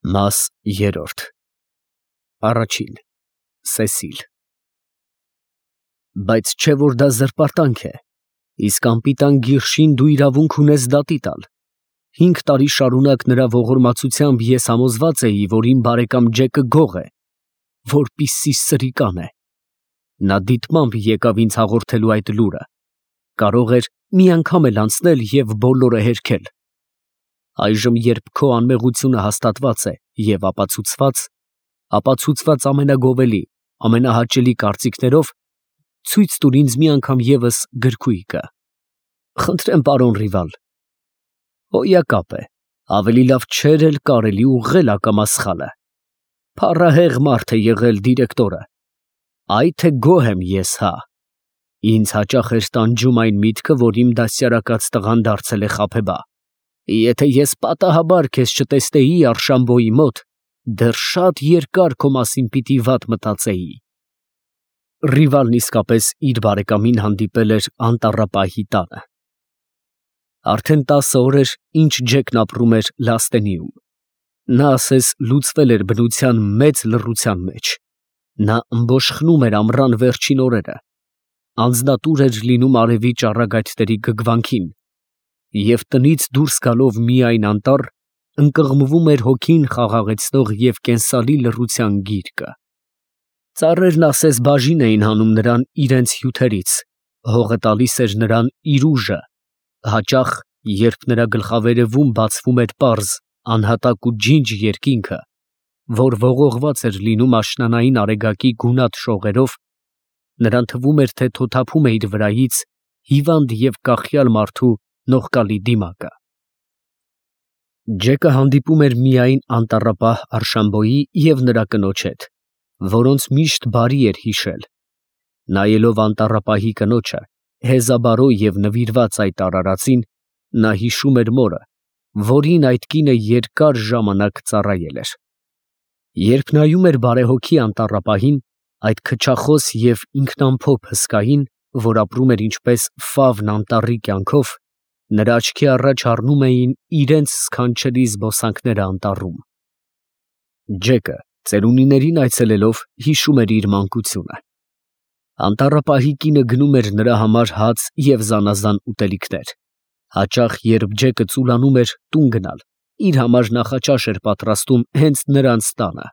Մաս երրորդ Առաջին Սեսիլ Բայց չէ որ դա զրպարտանք է, իսկ անպիտան գիրշին դու իրավունք ունես դատի տալ։ 5 տարի շարունակ նրա ողորմածությամբ ես համոզված էի, որ իմ բարեկամ Ջեկը գող է, որպիսի սրիկան է։ Նա դիտմամբ եկավ ինձ հաղորդելու այդ լուրը, կարող էր մի անգամ էլ անցնել և բոլորը հերքել։ Այժմ երբ քո անմեղությունը հաստատված է և ապացուցված ամենագովելի, ամենահաճելի կարծիքներով, ցույց տուր ինձ մի անգամ ևս գրքույկը։ Խնդրեմ, պարոն Ռիվալ։ Հոյակապ է, ավելի լավ չէր էլ կարելի ուղղել ակամա սխալը։ Փառահեղ մարդ է եղել դիրեկտորը։ Այ թե գոհ եմ ես, հա։ Ինձ հաճախ էր տանջում այն միտքը, որ իմ դաստիարակած տղան դարձել է խաբեբա։ Եթե ես պատահաբար քեզ չտեսնեի Արշամբոյի մոտ, դեռ շատ երկար քո մասին պիտի վատ մտածեի։ Ռիվալն իսկապես իր բարեկամին հանդիպել էր անտառապահի տանը։ Արդեն 10 օր էր, ինչ Ջեկն ապրում էր Լաստենիում։ Նա ասես լուծվել էր բնության մեծ լռության մեջ։ Նա ըմբոշխնում էր ամռան վերջին օրերը, անձնատուր էր լինում արևի ճառագայթների գգվանքին, և տնից դուրս գալով միայն անտառ, ընկղմվում էր հոգին խաղաղեցնող և կենսալի լռության գիրկը։ Ծառերն ասես բաժին էին հանում նրան իրենց հյութերից, հողը տալիս էր նրան իր ուժը, հաճախ, երբ նրա գլխավերևում բացվում էր պարզ, անհատակ ու ջինջ երկինքը, որ ողողված էր լինում աշնանային արեգակի գունատ շողերով, նրան թվում էր, թե թոթափում է իր վրայից հիվանդ և կախյալ մարդու նողկալի դիմակը։ Ջեկը հանդիպում էր միայն անտառապահ Արշամբոյի և նրա կնոջ հետ, որոնց միշտ բարի էր հիշել։ Նայելով անտառապահի կնոջը, հեզաբարո և նվիրված այդ արարածին, նա հիշում էր մորը, որին այդ կինը երկար ժամանակ ծառայել էր։ Երբ նայում էր բարեհոգի անտառապահին, այդ քչախոս և ինքնամփոփ հսկային, որ ապրում էր ինչպես ֆավն անտառի կյանքով, նրա աչքի առաջ առնում էին իրենց սքանչելի զբոսանքները անտառում։ Ջեկը, ծերունիներին այցելելով, հիշում էր իր մանկությունը։ Անտառապահի կինը գնում էր նրա համար հաց և զանազան ուտելիքներ։ Հաճախ, երբ Ջեկը ծուլանում էր տուն գնալ, իր համար նախաճաշ էր պատրաստում հենց նրանց տանը։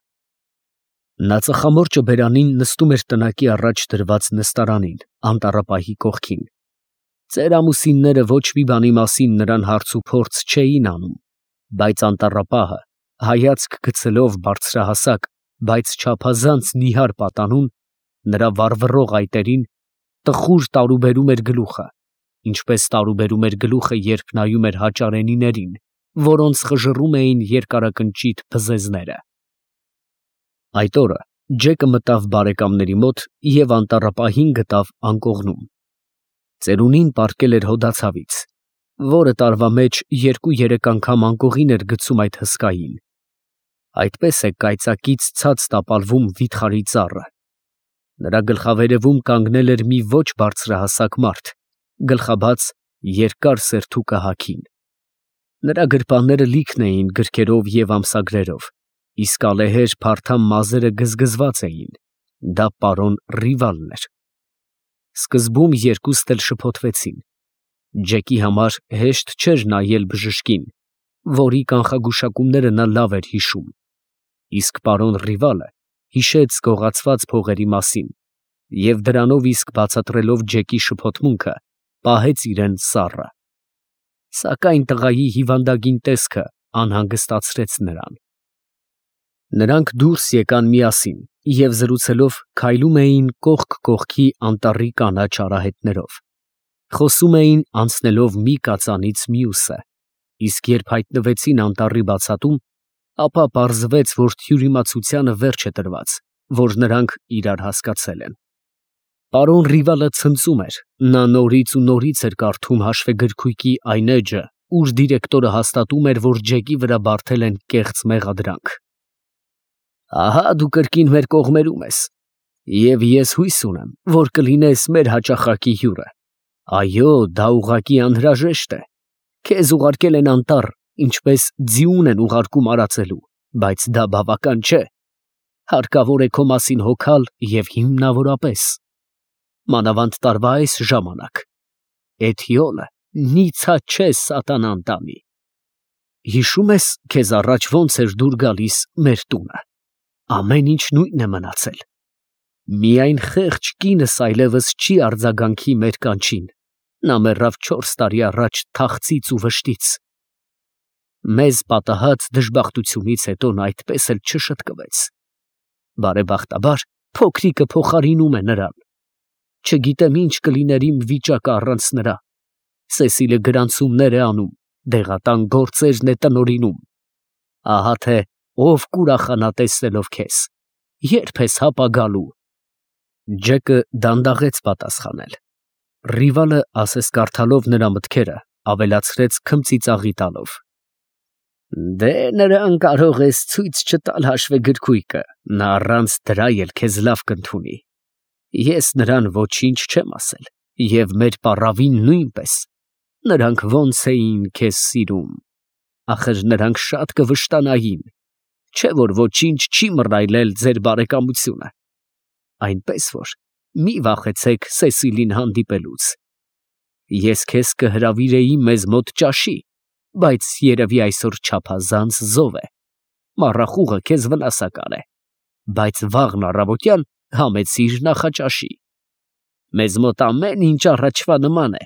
Նա ծխամորճը բերանին նստում էր տնակի առաջ դրված նստարանին, անտառապահի կողքին։ Ծեր ամուսինները ոչ մի բանի մասին նրան հարց ու փորձ չէին անում, բայց անտառապահը, հայացք գցելով բարձրահասակ, բայց չափազանց նիհար պատանուն, նրա վառվռող այտերին, տխուր տարուբերում էր գլուխը, ինչպես տարուբերում էր գլուխը, երբ նայում էր հաճարենիներին, որոնց խժռում էին երկարակնճիտ բզեզները։ Այդ օրը Ջեկը մտավ բարեկամների մոտ և անտառապահին գտավ անկողնում։ Ծերունին պառկել էր հոդացավից, որը տարվա մեջ 2-3 անգամ անկողին էր գցում այդ հսկային։ Այդպես է կայծակից ցած տապալվում վիթխարի ծառը։ Նրա գլխավերևում կանգնել էր մի ոչ բարձրահասակ մարդ, գլխաբաց, երկար սերթուկը հագին։ Նրա գրպանները լիքն էին գրքերով և ամսագրերով, իսկ ալեհեր փարթամ մազերը գզգզված էին։ Դա պարոն Ռիվալն էր։ Սկզբում երկուստ էլ շփոթվեցին։ Ջեկի համար հեշտ չէր նայել բժշկին, որի կանխագուշակումները նա լավ էր հիշում, իսկ պարոն Ռիվալը հիշեց գողացված փողերի մասին և դրանով իսկ բացատրելով Ջեկի շփոթմունքը, պահեց իրան սառը։ Սակայն տղայի հիվանդագին տեսքը անհանգստացրեց նրան։ Նրանք դուրս եկան միասին և զրուցելով քայլում էին կողք կողքի անտառի կանաչ արահետներով։ Խոսում էին անցնելով մի կածանից մյուսը, իսկ երբ հայտնվեցին անտառի բացատում, ապա պարզվեց, որ թյուրիմացությանը վերջ է տրված, որ նրանք իրար հասկացել են։ Պարոն Ռիվալը ցնծում էր, նա նորից ու նորից էր կարդում հաշվեգրքույկի այն էջը, ուր դիրեկտորը հաստատում էր, որ Ջեկի վրա բարդել են կեղծ մեղադրանք։ Ահա դու կրկին մեր կողմերում ես, և ես հույս ունեմ, որ կլինես մեր հաճախակի հյուրը։ Այո, դա ուղղակի անհրաժեշտ է։ Քեզ ուղարկել են անտառ, ինչպես ձիուն են ուղարկում արածելու, բայց դա բավական չէ։ Հարկավոր է քո մասին հոգալ և հիմնավորապես մանավանդ տարվա այս ժամանակ։ Էթիոլը նիցած չէ սատանան տանի։ Հիշում ես, քեզ առաջ ոնց էր դուր գալիս մեր տունը։ Ամեն ինչ նույնն է մնացել։ Միայն խեղճ կինս այլևս չի արձագանքի մեր կանչին։ Նա մեռավ 4 տարի առաջ թախծից ու վշտից։ Մեզ պատահած դժբախտությունից հետո նա այդպես էլ չշտկվեց։ Բարեբախտաբար փոքրիկը փոխարինում է նրան։ Չգիտեմ ինչ կլիներ իմ վիճակը առանց նրա։ Սեսիլը գրանցումներ է անում, դեղատան գործերն է տնօրինում։ Ահա թե ով կուրախանա տեսնելով քեզ։ Երբ ես հապա գալու։ Ջեկը դանդաղեց պատասխանել։ Ռիվալը, ասես կարդալով նրա մտքերը, ավելացրեց քմծիծաղի տալով. Դե նրան կարող ես ցույց չտալ հաշվեգրքույկը, նա առանց դրա էլ քեզ լավ կընդունի։ Ես նրան ոչինչ չեմ ասել, և մեր պառավին նույնպես։ Նրանք ոնց էին քեզ սիրում։ Ախր նրանք շատ կվշտանային, չէ որ ոչինչ չի մռայլել ձեր բարեկամությունը։ Այնպես որ մի վախեցեք Սեսիլին հանդիպելուց։ Ես քեզ կհրավիրեի մեզ մոտ ճաշի, բայց երևի այսօր չափազանց զով է։ Մառախուղը քեզ վնասակար է, բայց վաղն առավոտյան համեցիր նախաճաշի։ Մեզ մոտ ամեն ինչ առաջվա նման է։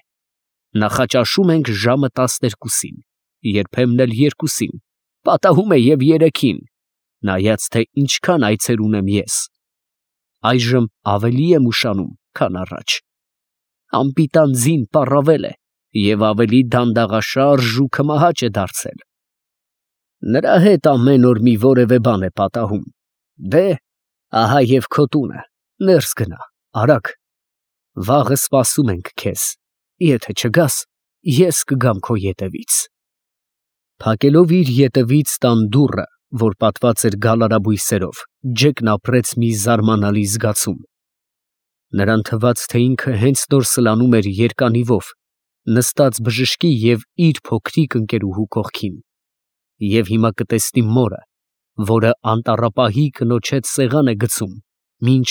Նախաճաշում ենք ժամը 12-ին, երբեմն էլ 2-ին, պատահում է և 3-ին, նայած թե ինչքան այցեր ունեմ ես։ Այժմ ավելի եմ ուշանում, քան առաջ։ Անպիտան ձին պառավել է և ավելի դանդաղաշարժ ու քմահաճ է դարձել։ Նրա հետ ամեն օր մի որևէ բան է պատահում։ Դե, ահա և քո տունը, ներս գնա, արագ։ Վաղը սպասում ենք քեզ։ Եթե չգաս, ես կգամ քո ետևից։ Փակելով իր ետևից տան դուռը, որ պատված էր գալարաբույսերով, Ջեկն ապրեց մի զարմանալի զգացում։ Նրան թվաց, թե ինքը հենց նոր սլանում էր երկանիվով, նստած բժշկի և իր փոքրիկ ընկերուհու կողքին, և հիմա կտեսնի մորը, որը անտառապահի կնոջ հետ սեղան է գցում, մինչ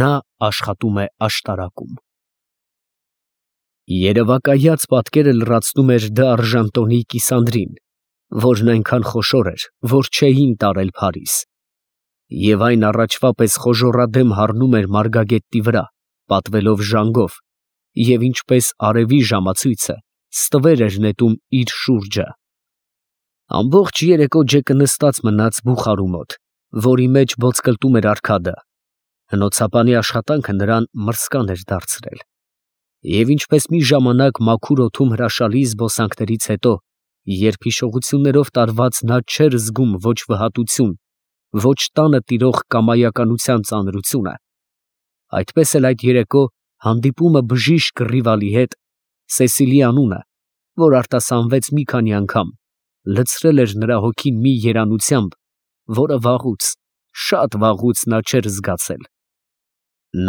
նա աշխատում է աշտարակում։ Երևակայած պատկերը լրացնում էր դարժան տոնի կիսանդրին, որն այնքան խոշոր էր, որ չէին տարել Փարիզ, և այն առաջվա պես խոժոռադեմ հառնում էր մարգագետի վրա, պատվելով ժանգով, և ինչպես արևի ժամացույցը ստվեր էր նետում իր շուրջը։ Ամբողջ երեկո Ջեկը նստած մնաց բուխարու մոտ, որի մեջ ոսկլտում էր արքադը։ Հնոցապանի աշխատանքը նրան մրսկան էր դարձրել։ Եվ ինչպես մի ժամանակ մաքուր օդում հրաշալի զբոսանքներից հետո, երբ հիշողություններով տարված նա չէր զգում ոչ վհատություն, ոչ տանը տիրող կամայականության ծանրությունը, այդպես էլ այդ երեկո հանդիպումը բժիշկ Ռիվալի հետ, Սեսիլի անունը, որ արտասանվեց մի քանի անգամ, լցրել էր նրա հոգին մի երանությամբ, որը վաղուց, շատ վաղուց նա չէր զգացել։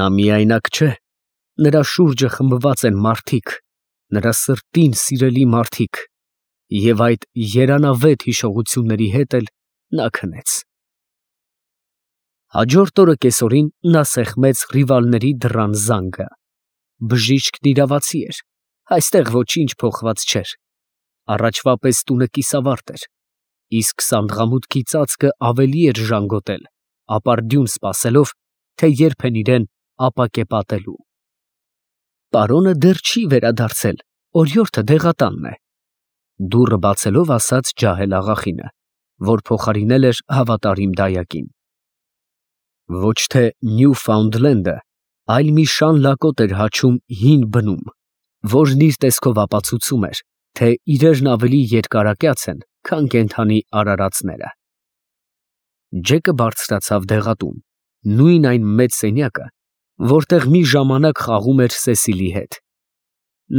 Նա միայնակ չէ, նրա շուրջը խմբված են մարդիկ, նրա սրտին սիրելի մարդիկ, և այդ երանավետ հիշողությունների հետ էլ նա քնեց։ Հաջորդ օրը կեսօրին նա սեղմեց Ռիվալների դռան զանգը։ Բժիշկն իրավացի էր, այստեղ ոչինչ փոխված չէր։ Առաջվա պես տունը կիսավարտ էր, իսկ սանդղամուտքի ծածկը ավելի էր ժանգոտել, ապարդյուն սպասելով, թե երբ են իրեն ապակե պատելու։ Պարոնը դեռ չի վերադարձել, օրիորդը դեղատանն է, դուռը բացելով ասաց ջահել աղախինը, որ փոխարինել էր հավատարիմ դայակին։ Ոչ թե Նյուֆաունդլենդը, այլ մի շան լակոտ էր հաչում հին բնում, որն իր տեսքով ապացուցում էր, թե իրերն ավելի երկարակյաց են, քան կենդանի արարածները։ Ջեկը բարձրացավ դեղատուն, նույն այն մեծ սենյակը, որտեղ մի ժամանակ խաղում էր Սեսիլի հետ։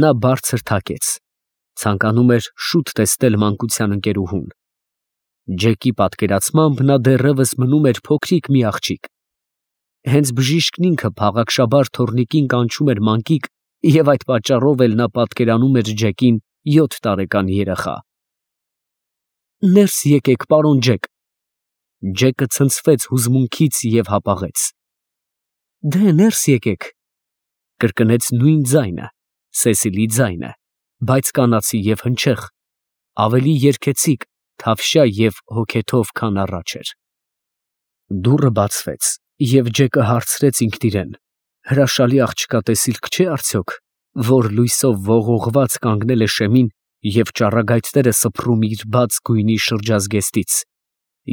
Նա բարձր թաքեց, ցանկանում էր շուտ տեսնել մանկության ընկերուհուն։ Ջեկի պատկերացմամբ նա դեռևս մնում էր փոքրիկ մի աղջիկ։ Հենց բժիշկն ինքը փաղաքշաբար թոռնիկին կանչում էր մանկիկ, և այդ պատճառով էլ նա պատկերանում էր Ջեկին 7 տարեկան երեխա։ Ներս եկեք, պարոն Ջեք, Ջեկը ցնցվեց հուզմունքից և հապաղեց։ «Դե ներս եկեք», կրկնեց նույն ձայնը, Սեսիլի ձայնը, բայց կանացի և հնչեղ, ավելի երգեցիկ, թավշյա և հոգեթով, քան առաջ էր։ Դուռը բացվեց, և Ջեկը հարցրեց ինքն իրեն. հրաշալի աղջկա տեսիլք չէ՞ արդյոք, որ լույսով ողողված կանգնել է շեմին և ճառագայթները սփռում իր բաց գույնի շրջազգեստից,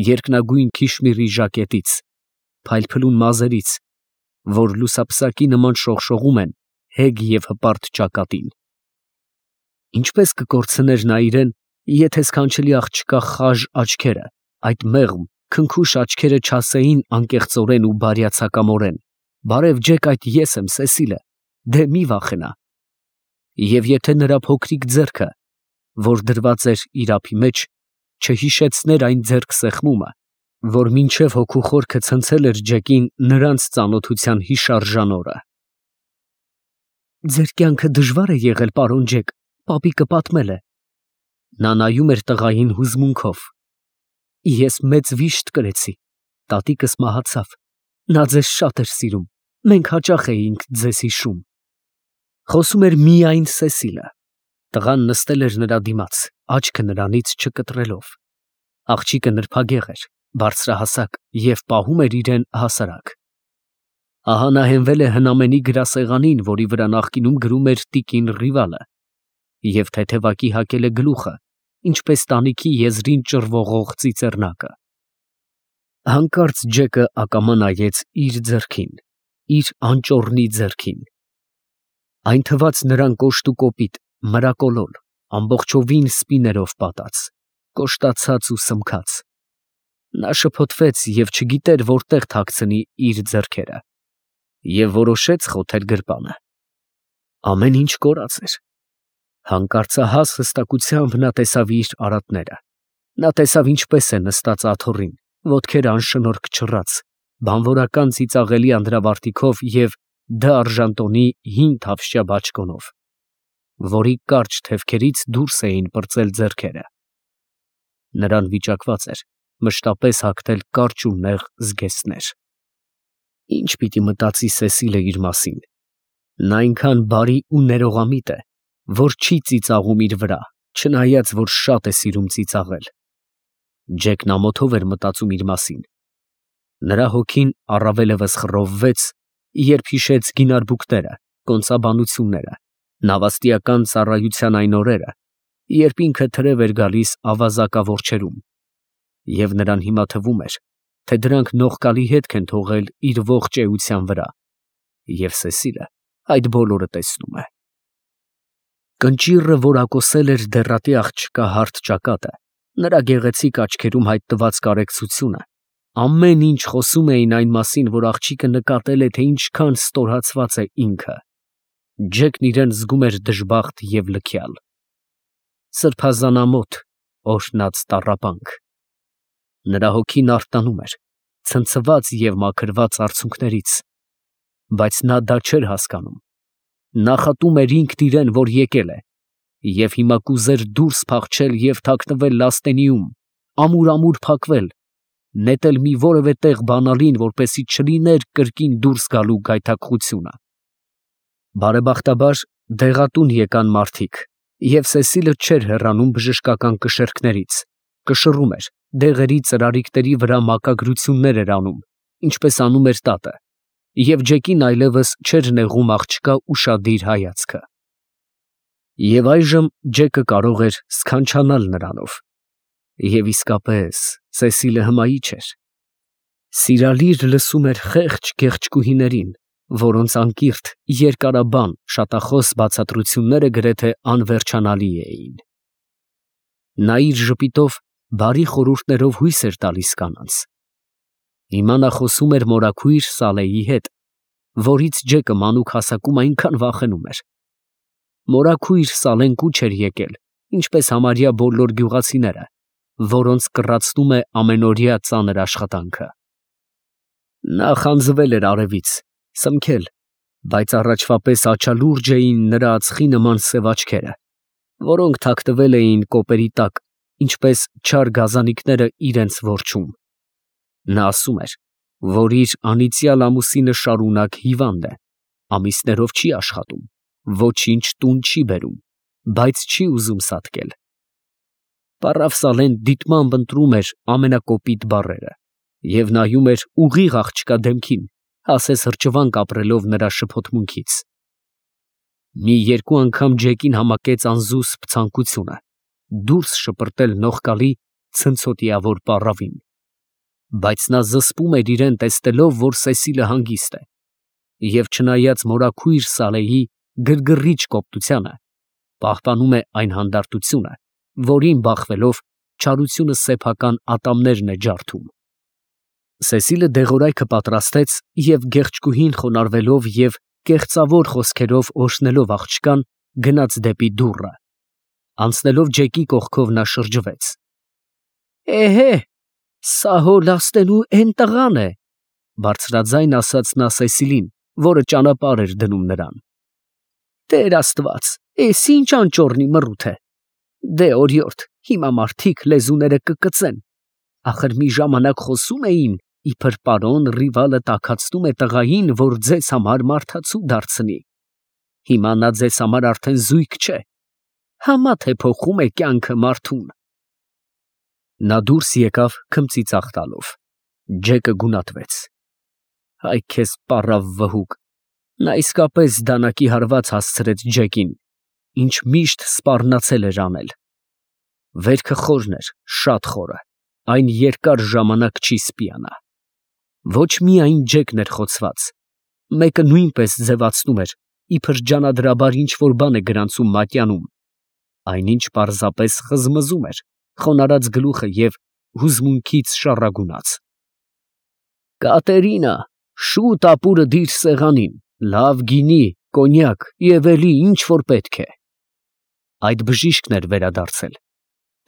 երկնագույն քիշմիրի ժակետից, փայլփլուն մազերից, որ լուսափսակի նման շողշողում են հեգ և հպարտ ճակատին։ Ինչպես կկորցներ նա իրեն, եթե սքանչելի աղջկա խաժ աչքերը, այդ մեղմ, քնքուշ աչքերը չասեին անկեղծորեն ու բարյացակամորեն. «Բարև Ջեք, այդ ես եմ, Սեսիլը, դե մի վախենա»։ Եվ եթե նրա փոքրիկ ձեռքը, որ դրված էր իր ափի մեջ, չհիշեցներ այն ձեռքսեղմումը, որ մինչև հոգու խորքը ցնցել էր Ջեկին նրանց ծանոթության հիշարժան օրը։ «Ձեր կյանքը դժվա՞ր է եղել, պարոն Ջեք, պապիկը պատմել է»։ Նա նայում էր տղային հուզմունքով։ «Ես մեծ վիշտ կրեցի, տատիկս մահացավ, նա ձեզ շատ էր սիրում, մենք հաճախ էինք ձեզ հիշում»։ Խոսում էր միայն Սեսիլը։ Տղան նստել էր նրա դիմաց, աչքը նրանից չկտրելով։ Աղջիկը նրբագեղ էր, բարձրահասակ և պահում էր իրեն հասարակ։ Ահա նա հենվել է հնամենի գրասեղանին, որի վրա նախկինում գրում էր տիկին Ռիվալը, և թեթևակի հագել է գլուխը, ինչպես տանիքի եզրին ճռվողող ծիծեռնակը։ Հանկարծ Ջեկը ակամա նայեց իր ձեռքին, իր անճոռնի ձեռքին։ Այն թվաց նրան կոշտ ու կոպիտ, մրակոլոր, ամբողջովին սպիներով պատած, կոշտացած ու սմքած։ Նա շփոթվեց և չգիտեր որտեղ թաքցնի իր ձեռքերը, և որոշեց խոթել գրպանը։ Ամեն ինչ կորած էր։ Հանկարծահաս հստակությամբ նա տեսավ իր արատները։ Նա տեսավ ինչպես է նստած աթոռին, ոտքերը անշնորհք չռած, բանվորական ծիծաղելի անդրավարտիքով և Դ արժանտոնի հին թավշյա բաճկոնով, որի կարճ թևքերից դուրս էին պրծել ձեռքերը։ Նրան վիճակված էր մշտապես հագնել կարճ ու նեղ զգեստներ։ Ի՞նչ պիտի մտածի Սեսիլը իր մասին։ Նա այնքան բարի ու ներողամիտ է, որ չի ծիծաղում իր վրա, չնայած որ շատ է սիրում ծիծաղել։ Ջեկն ամոթով էր մտածում իր մասին։ Նրա հոգին առավելևս խռովվեց, երբ հիշեց գինարբուկները, կոնծաբանությունները, նավաստիական ծառայության այն օրերը, երբ ինքը թրև էր գալիս ավազակավորչերում, և նրան հիմա թվում էր, թե դրանք նողկալի հետք են թողել իր ողջ էության վրա, և Սեսիլը այդ բոլորը տեսնում է։ Կնճիռը որակոսել էր դեռատի աղջկա հարթ ճակատը, նրա գեղեցիկ աչքերում հայտնված կարեկցությունը, ամեն ինչ խոսում էին այն մասին, որ աղջիկը նկատել է, թե ինչքան ստորացված է ինքը։ Ջեկն իրեն զգում էր դժբախտ և լքյալ։ Սրբազանամոթ, օրհնած տառապանք։ Նրա հոգին արթնանում էր, ցնցված և մաքրված արցունքներից, բայց նա դա չէր հասկանում։ Նախատում էր ինքն իրեն, որ եկել է, և հիմա կուզեր դուրս փախչել և թաքնվել լաստենիում, ամուր փակվել, նետել մի որևէ տեղ բանալին, որպեսզի չլիներ կրկին դուրս գալու գայթակղությունը։ Բարեբախտաբար դեղատուն եկան մարդիկ, և Սեսիլը չէր հեռանում բժշկական կշեռքներից, կշռում էր, դեղերի ծրարիկների վրա մակագրություններ էր անում, ինչպես անում էր տատը, և Ջեկին այլևս չէր նեղում աղջկա ուշադիր հայացքը։ Եվ այժմ Ջեկը կարող էր սքանչանալ նրանով։ Եվ իսկապես Սեսիլը հմայիչ էր։ Սիրալիր լսում էր խեղճ գեղեցկուհիներին, որոնց անկիրթ, երկարաբան, շատախոս բացատրությունները գրեթե անվերջանալի էին։ Նա իր ժպիտով բարի խորհուրդներով հույս էր տալիս կանանց։ Հիմա նա խոսում էր մորաքույր Սալեի հետ, որից Ջեկը մանուկ հասակում այնքան վախենում էր։ Մորաքույր Սալեն կուչ էր եկել, ինչպես համարյա բոլոր գյուղացիները, որոնց կռացնում է ամենօրյա ծանր աշխատանքը։ Նա խանձվել էր արևից, սմքել, բայց առաջվա պես աչալուրջ էին նրա ածխի նման սև աչքերը, որոնք թաքնվել էին կոպերի տակ, ինչպես չար գազանիկները իրենց որջում։ Նա ասում էր, որ իր անիծյալ ամուսինը շարունակ հիվանդ է, ամիսներով չի աշխատում, ոչինչ տուն չի բերում, բայց չի ուզում սատկել։ Պարավսալեն դիտմամբ ընտրում էր ամենակոպիտ բառերը և նայում էր ուղիղ աղջկա դեմքին, ասես հրճվանք ապրելով նրա շփոթմունքից։ Մի երկու անգամ Ջեկին համակեց անզուսպ ցանկությունը դուրս շպրտել նողկալի ցնցոտիավոր պառավին, բայց նա զսպում էր իրեն տեսնելով, որ Սեսիլը հանգիստ է, և չնայած մորաքույր Սալեհի գրգռիչ կոպտությանը, պահպանում է այն հանդարտությունը, որին բախվելով չարությունը սեփական ատամներն է ջարդում։ Սեսիլը դեղորայքը պատրաստեց և գեղեցկուհին խոնարհվելով և կեղծավոր խոսքերով օրհնելով աղջկան, գնաց դեպի դուռը։ Անցնելով Ջեկի կողքով նա շրջվեց. «Էհե, սա հո լաստենու էն տղան է», բարձրաձայն ասաց նա Սեսիլին, որը ճանապարհ էր դնում նրան։ «Տեր Աստված, էս ինչ անճոռնի մռութ է։ Դե օրիորդ, հիմա մարդիկ լեզուները կկծեն, ախր մի ժամանակ խոսում էին, իբր պարոն Ռիվալը տաքացնում է տղային, որ ձեզ համար մարդացու դարձնի։ Հիմա նա ձեզ համար արդեն զույգ չէ, համա թե փոխում է կյանքը մարդուն»։ Նա դուրս եկավ քմծիծաղ տալով։ Ջեկը գունատվեց։ Այ քեզ պառավ վհուկ, նա իսկապես դանակի հարված հասցրեց Ջեկին, ինչ միշտ սպառնացել էր անել։ Վերքը խորն էր, շատ խորը, այն երկար ժամանակ չի սպիանա։ Ոչ միայն Ջեկն էր խոցված, մեկը նույնպես ձևացնում էր, իբր ջանադրաբար ինչ֊որ բան է գրանցում մատյանում, այնինչ պարզապես խզմզում էր, խոնարհած գլուխը և հուզմունքից շառագունած։ «Կատերինա, շուտ ապուրը դիր սեղանին, լավ գինի, կոնյակ և էլի ինչ որ պետք է»։ Այդ բժիշկն էր վերադարձել։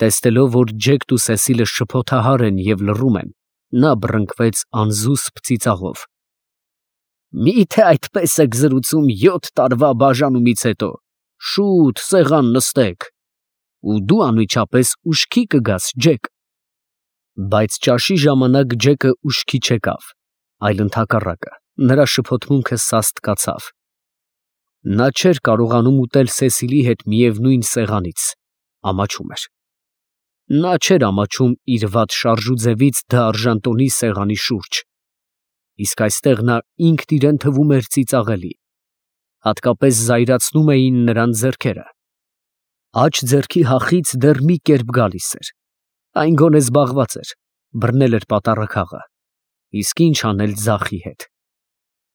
Տեսնելով, որ Ջեկն ու Սեսիլը շփոթահար են և լռում են, նա բռնկվեց անզուսպ ծիծաղով. «Մի՞թե այդպես եք զրուցում 7 տարվա բաժանումից հետո, շուտ սեղան նստեք, ու դու անմիջապես ուշքի կգաս, Ջեք»։ Բայց ճաշի ժամանակ Ջեկը ուշքի չեկավ, այլ ընդհակառակը, նրա շփոթմունքը սաստկացավ։ Նա չէր կարողանում ուտել Սեսիլի հետ միևնույն սեղանից, ամաչում էր։ Նա չէր ամաչում իր վատ շարժուձևից դարժանտոնի սեղանի շուրջ, իսկ այստեղ նա ինքն իրեն թվում էր ծիծաղելի, հատկապես զայրացնում էին նրան ձեռքերը։ Աջ ձեռքի հախից դեռ մի կերպ գալիս էր, այն գոնե զբաղված էր, բռնել էր պատառաքաղը, իսկ ինչ անել ձախի հետ։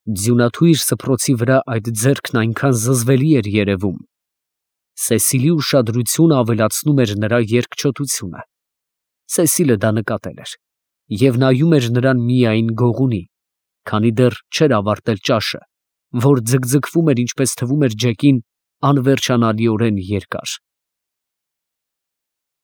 Ձյունաթույր սփռոցի վրա այդ ձեռքն այնքան զզվելի էր երևում։ Սեսիլի ուշադրությունը ավելացնում էր նրա երկչոտությունը։ Սեսիլը դա նկատել էր և նայում էր նրան միայն գողունի, քանի դեռ չէր ավարտել ճաշը, որ ձգձգվում էր, ինչպես թվում էր Ջեկին, անվերջանալիորեն երկար։